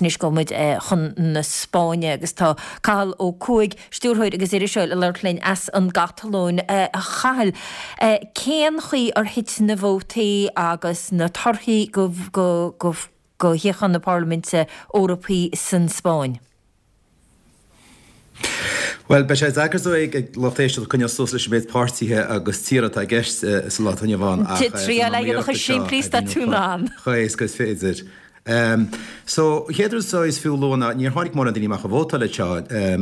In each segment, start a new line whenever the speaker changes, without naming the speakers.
agus anois gabhfaidh muid chun na Spáinne agus tá Cathal Ó Cuaig, stiúrthóir agus iriseoir ag labhairt linn as an gCatalóin. A Chathail, cén chaoi ar thit na vótaí agus na torthaí go shuíocháin na Parlaiminte Eorpaí san Spáinn?
Bhuel, beidh sé deacair is dóigh ag lucht éisteachta coinneáil suas leis an méid páirtithe agus tíortha atá i gceist sa lá atá inniu ann
ach Triail é a dhéanamh chomh simplí is atá tú in ann.
chomh éasca is féidir. So, an chéad rud is dóigh is fiú a lua ná níor tháinig mórán daoine amach a vótáil anseo.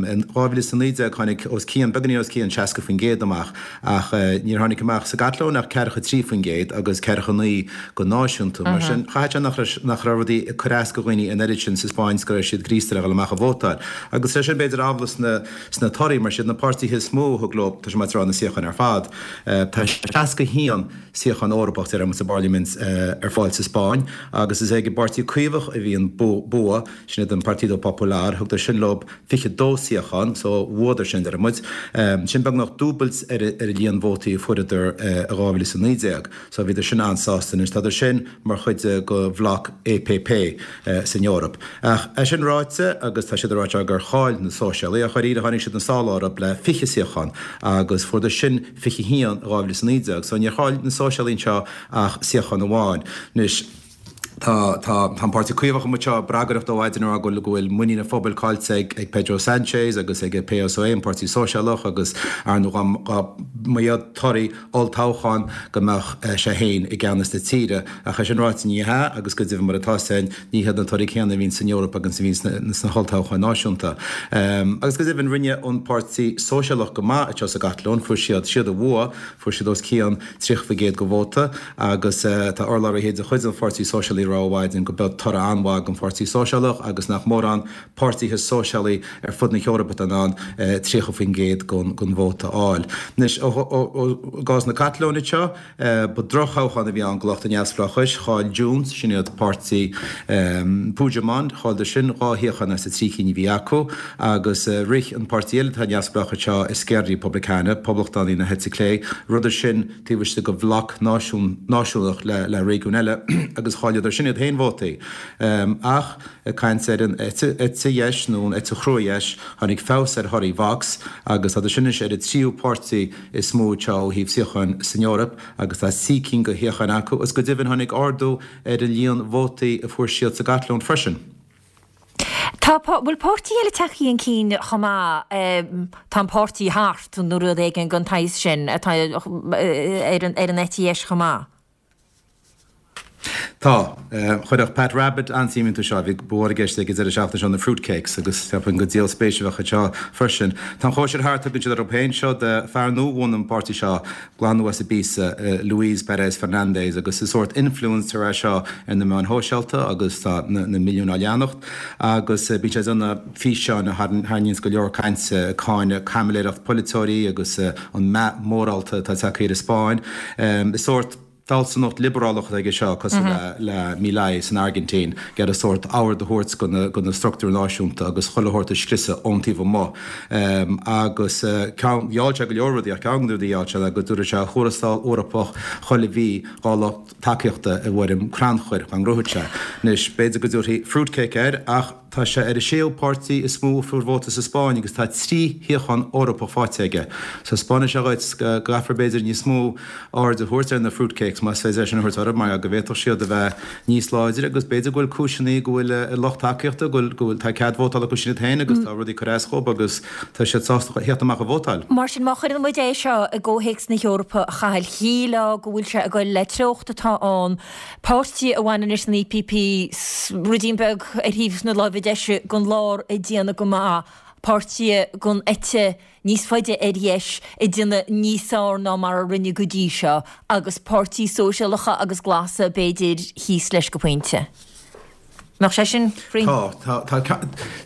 In 2019 tháinig os cionn, beagáinín os cionn 60% amach ach níor tháinig amach sa gCatalóin ach 43% agus 49 go náisiúnta. Mar sin, chaithfeadh sé nach raibh, nach raibh rudaí ag cur as go dhaoine an oiread sin sa Spáinn is go raibh siad gríosta le dhul amach a vótáil. Agus tá sin b'fhéidir amhlaidh sna, sna torthaí, mar siad na páirtithe is mó a thug leo, tá sé maith a rá, na suíocháin ar fad. Tá 61 suíochán Eorpach, déarfaidh muid, sa bParlaimint ar fáil sa Spáinn agus is ag an bPáirtí Caomhach a bhí an bua, sin iad an Partido Popular, thugadar sin leo 22 suíochán, so bhuadar sin, déarfaidh muid. Sin beagnach dúbailt ar an líon vótaí a fuaireadar i 2019. So bhíodar sin an-sásta. Anois tádar sin mar chuid de bhloc EPP san Eoraip. Ach é sin ráite, agus tá siad ag rá gur chaill na Sóisialaigh, ach dháiríre tháinig siad an sála orthu le 20 suíochán agus fuaireadar sin 21 i 2019. So níor chaill na Sóisialaigh anseo ach suíochán amháin. Anois. Tá, tá, tá an Páirtí Caomhach amuigh anseo ag bragaireacht ó mhaidin ag rá go bhfuil, go bhfuil muinín an phobail caillte ag, ag Pedro Sánchez agus ag PSOE, an Páirtí Sóisialach, agus ar ndóigh dá, dá mba iad torthaí olltoghcháin go mbeadh sé féin i gceannas na tíre. Ach é sin ráite ní hea agus go deimhin mar atá sé ní hiad na torthaí céanna a bhíonn san Eoraip agus a bhíonn sna, sna holltoghcháin náisiúnta. Agus go deimhin rinne an Páirtí Sóisialach go maith anseo sa gCatalóin, fuair siad, siad a bhuaigh, fuair siad os cionn 30% de vóta agus tá urlabhraithe de chuid an Pháirtí Sóisialaigh ag rá ó mhaidin go b'eod toradh an-mhaith don Pháirtí Sóisialach agus nach mórán páirtithe sóisialaí ar fud na hEorpa atá in ann 30% den vóta a fháil. Anois, i gcás na Catalóine anseo, ba drochthoghchán a bhí ann do lucht an neamhspleáchais. Chaill Junts, sin iad páirtí Puigdemont, chailleadar sin dhá shuíochán as na trí cinn a bhí acu agus rith an páirtí eile atá neamhspleách anseo, Esquerra Republicana, Poblachtánaigh na heite clé, ritheadar sin taobh istigh de bhloc náisiúnach le réigiún eile agus chailleadar sin iad féin vótaí. Ach ag caint ar an eite dheis nó an eite chrua-dheis, tháinig feabhas ar thorthaí Vox agus tá sin anois ar an tríú páirtí is mó anseo ó thaobh suíocháin san Eoraip agus tá trí cinn de shuíocháin acu agus go deimhin tháinig ardú ar an líon vótaí a fuair siad sa gCatalóin freisin.
Tá, bhfuil páirtí eile tagtha chun cinn chomh maith, tá an páirtí thart nó rud éigin den tsaghas sin atá ar an eite dheis chomh maith?
Tá. Chuirfeadh Pat Rabbitte an-suim iontu seo. Bhí, ba mhór i gceist ag an deireadh seachtaine seo na fruit cakes agus cheapfainn gur díol spéise a bheadh anseo freisin. Tá an chóisir thart, tugann siad orthu féin seo de fear nua a bhunaigh an páirtí seo, glan nua as Ibiza, Luis Perez Fernandez agus is sórt influencer é seo ar na meáin shóisialta agus tá na milliúin á leanacht agus bíonn sé ag déanamh físeáin a tharraingíonns go leor cainte ag cáineadh caimiléireacht polaiteoirí agus an meath mórálta atá tagtha ar an Spáinn. Is sórt fealsúnacht liobrálach atá aige seo, cosúil le Milei san Airgintín, ag iarraidh sórt ord a thabhairt go na struchtúir náisiúnta agus chuile shórt a scriosadh ón taobh amuigh. Agus ceann, gheall sé go leor rudaí ach ceann de na rudaí a gheall sé ná go dtabharfadh sé thuarastal Eorpach chuile mhí dhá lucht tacaíochta i bhfoirm crannchuir dá ngnóthódh sé. Anois, b'fhéidir go dtabharfaí fruitcake air ach tá sé ar an séú páirtí is mó a fuair vóta sa Spáinn agus tá 3 shuíochán Eorpach faighte aige. So 'spáineann sé dhuit go gcaithfear b'fhéidir níos mó aird a thabhairt ar na fruitcakes, más féidir é sin a thabhairt orthu, mar go bhféadfadh siad a bheith níos láidre agus b'fhéidir go bhfuil cúiseanna go bhfuil a lucht tacaíochta, go bhfuil, go bhfuil, tá cead vótála acu sin iad féin agus tá rudaí ag cur as dhóibh agus tá siad sásta theacht amach a vótáil.
Mar sin, má chuireann muid é seo i gcomhthéacs na hEorpa, a Chathail, shílfeá go bhfuil sé ag goil le treocht atá ann, páirtí a bhaineann leis an EPP, ruidín beag ar thaobh na láimhe deise den lár ag déanamh go maith, páirtithe den eite níos faide ar dheis ag déanamh níos fearr ná mar a rinne go dtí seo, agus páirtí sóisialacha agus glasa b'fhéidir thíos leis go pointe. Mbeadh sé sin
cruinn? Tá, tá, tá,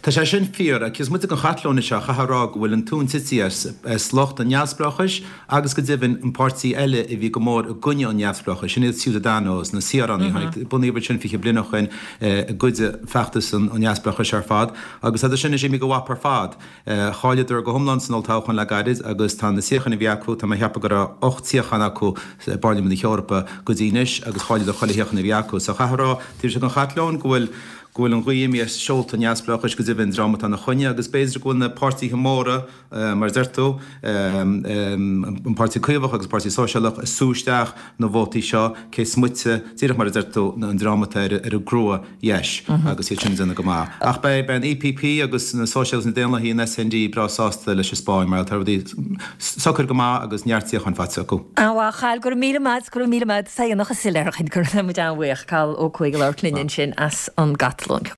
tá sé sin fíor. Ach is muid ag an Chatalóin seo, chaithfeá a rá go bhfuil an tóin tite as, as lucht an neamhspleáchais agus go deimhin an páirtí eile a bhí go mór i gcoinne an neamhspleáchais, sin iad Ciudadanos, na saoránaigh. Tháinig, bunaíodh iad sin 20 bliain ó shoin i gcuid de feachtas an neamhspleáchais ar fad agus tá sin anois imithe go mhap ar fad. Chailleadar go hiomlán san olltoghchán le gairid agus tá na suíocháin a bhí acu, tá mé a cheapadh go raibh 8 suíochán acu i bParlaimint na hEorpa go dtí anois agus chailleadar chuile shuíochán a bhí acu. So chaithfeá a rá, taobh istigh den Chatalóin, go bhfuil, go bhfuil an ghaoth imithe as seolta an neamhspleáchais, go deimhin, an dream atá ina choinne, agus b'fhéidir go bhfuil na páirtithe móra, mar a deir tú, an Páirtí Caomhach agus an Páirtí Sóisialach, ag sú isteach na vótaí seo, cé is moite, díreach mar a deir tú, an dream atá ar an gcrua-dheis agus iad sin ag déanamh go maith. Ach beidh an EPP agus na Sóisialaigh agus na Daonlathaigh, an SND, breá sásta leis an Spáinn mar tá rudaí socair go maith agus neart suíochán faighte acu.
An-mhaith, a Chathail, go raibh míle maith, go raibh míle maith, is é an fhocail soiléir, go raibh muid an-bhuíoch, Cathal Ó Cuaig ag labhairt linn ansin as an gCatalóin.